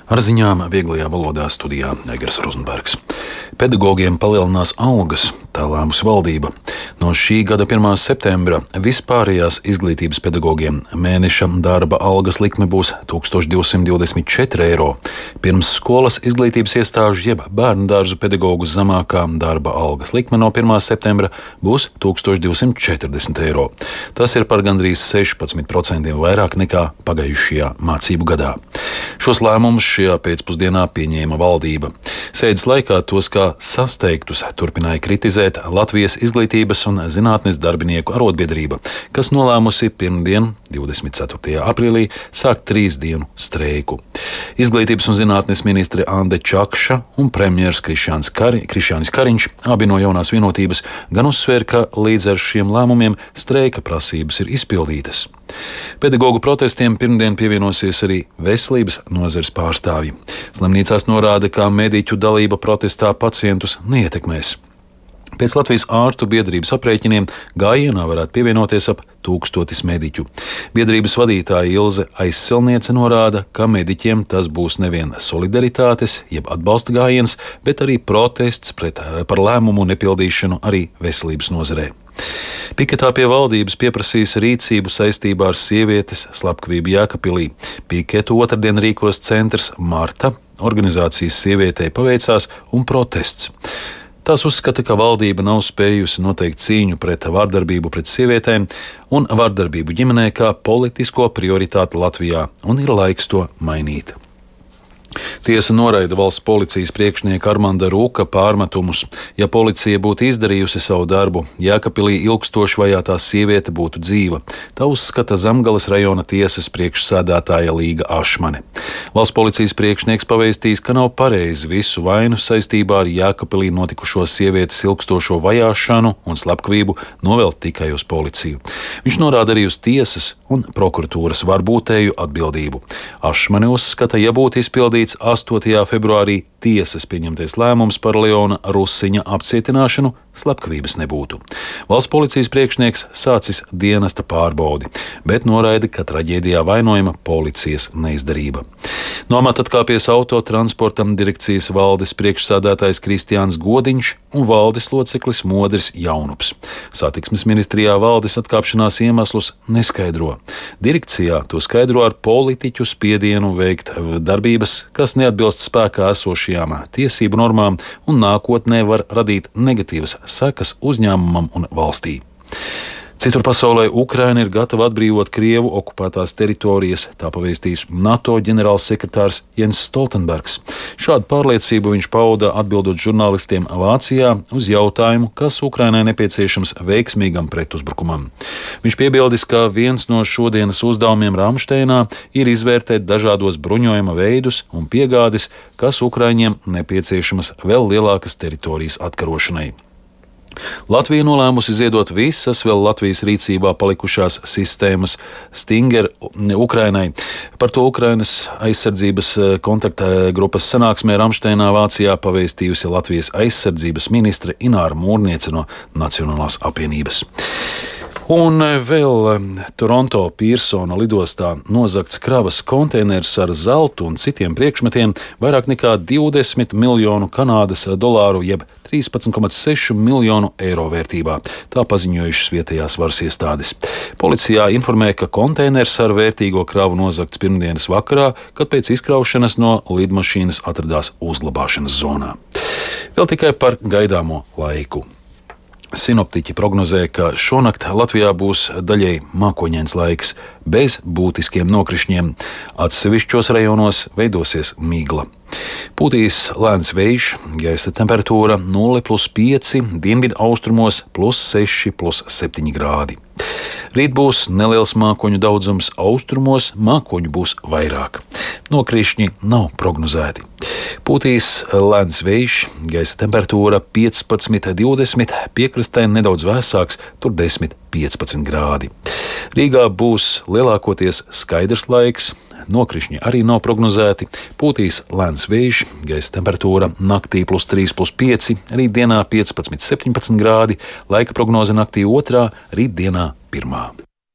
Ar ziņām vieglajā valodā studijā Egers Rozenbergs. Pedagogiem palielinās algas, tā lēmusi valdība. No šī gada 1. septembra vispārējās izglītības pedagogiem mēneša darba algas likme būs 1224 eiro. Pirmsskolas izglītības iestāžu jeb bērnu dārzu pedagogu zemākā darba algas likme no 1. septembra būs 1240 eiro. Tas ir par gandrīz 16% vairāk nekā pagājušajā mācību gadā. Šos lēmumus šajā pēcpusdienā pieņēma valdība. Sēdes laikā tos kā sasteigtus turpināja kritizēt Latvijas izglītības un zinātnes darbinieku arotbiedrība, kas nolēmusi pirmdien, 24. aprīlī, sākt 3 dienu streiku. Izglītības un zinātnes ministre Ande Čakša un premjers Krišjānis Kariņš, abi no jaunās vienotības, gan uzsvēra, ka līdz ar šiem lēmumiem streika prasības ir izpildītas. Pedagogu protestiem pirmdien pievienosies arī veselības nozares pārstāvji. Slimnīcās norāda, ka mediķu dalība protestā pacientus neietekmēs. Pēc Latvijas ārstu biedrības aprēķiniem gājienā varētu pievienoties ap 1000 mediķu. Biedrības vadītāja Ilze Aizsilniece norāda, ka mediķiem tas būs nevien solidaritātes, jeb atbalsta gājiens, bet arī protests par lēmumu nepildīšanu arī veselības nozarē. Piketā pie valdības pieprasīs rīcību saistībā ar sievietes slepkavību Jēkabpilī. Piketu otrdien rīkos centrs Marta, organizācijas Sievietei paveicās un protests. Tās uzskata, ka valdība nav spējusi noteikt cīņu pret vardarbību pret sievietēm un vardarbību ģimenē kā politisko prioritāti Latvijā, un ir laiks to mainīt. Tiesa noraida valsts policijas priekšnieka Armanda Rūka pārmetumus. Ja policija būtu izdarījusi savu darbu, Jēkabpilī ilgstoši vajātā sieviete būtu dzīva. Tā uzskata Zemgales rajona tiesas priekšsēdētāja Līga Ašmane. Valsts policijas priekšnieks pavēstījis, ka nav pareizi visu vainu saistībā ar Jēkabpilī notikušo sievietes ilgstošo vajāšanu un slepkavību novelt tikai uz policiju. Viņš norāda arī uz tiesas un prokuratūras varbūtēju atbildību. Ašmane uzskata, ja būtu izpildīts 8. februārī tiesas pieņemtais lēmums par Leona Rusiņa apcietināšanu, slepkavības nebūtu. Valsts policijas priekšnieks sācis dienesta pārbaudi, bet noraida, ka traģēdijā vainojama policijas neizdarība. No amata atkāpies autotransporta direkcijas valdes priekšsēdētājs Kristiāns Godiņš un valdes loceklis Modris Jaunups. Satiksmes ministrijā valdes atkāpšanās iemeslus neskaidro. Direkcijā to skaidro ar politiķu spiedienu veikt darbības, kas neatbilst spēkā esošajām tiesību normām un nākotnē var radīt negatīvas sekas uzņēmumam un valstī. Citur pasaulē Ukraina ir gatava atbrīvot Krievu okupētās teritorijas, tā pavēstīs NATO ģenerālsekretārs Jens Stoltenbergs. Šādu pārliecību viņš pauda atbildot žurnālistiem Vācijā uz jautājumu, kas Ukrainai nepieciešams veiksmīgam pretuzbrukumam. Viņš piebildis, ka viens no šodienas uzdevumiem Ramšteinā ir izvērtēt dažādos bruņojuma veidus un piegādes, kas Ukraiņiem nepieciešamas vēl lielākas teritorijas atkarošanai. Latvija nolēmusi ziedot visas vēl Latvijas rīcībā palikušās sistēmas Stinger Ukrainai. Par to Ukrainas aizsardzības kontaktgrupas sanāksmē Ramšteinā Vācijā pavēstījusi Latvijas aizsardzības ministre Ināra Mūrniece no Nacionālās apvienības. Un vēl Toronto Pīrsona lidostā nozagts kravas konteiners ar zeltu un citiem priekšmetiem vairāk nekā 20 miljonu Kanādas dolāru jeb 13,6 miljonu eiro vērtībā. Tā paziņojušas vietējās varas iestādes. Policijā informē, ka konteiners ar vērtīgo kravu nozagts pirmdienas vakarā, kad pēc izkraušanas no lidmašīnas atradās uzglabāšanas zonā. Vēl tikai par gaidāmo laiku. Sinoptiķi prognozē, ka šonakt Latvijā būs daļēji mākoņains laiks, bez būtiskiem nokrišņiem. Atsevišķos rajonos veidosies migla. Pūtīs lēns vējš, gaisa temperatūra 0+5, dienvidu austrumos +6,+7 grādi. Rīt būs neliels mākoņu daudzums, austrumos mākoņu būs vairāk. Nokrišņi nav prognozēti. Pūtīs lēns vējš, gaisa temperatūra 15,20, piekrastē nedaudz vēsāks, tur 10,15 grādi. Rīgā būs lielākoties skaidrs laiks, nokrišņi arī nav prognozēti, pūtīs lēns vējš, gaisa temperatūra naktī +3,5, rītdienā 15,17 grādi, laika prognoze naktī 2, rītdienā 1.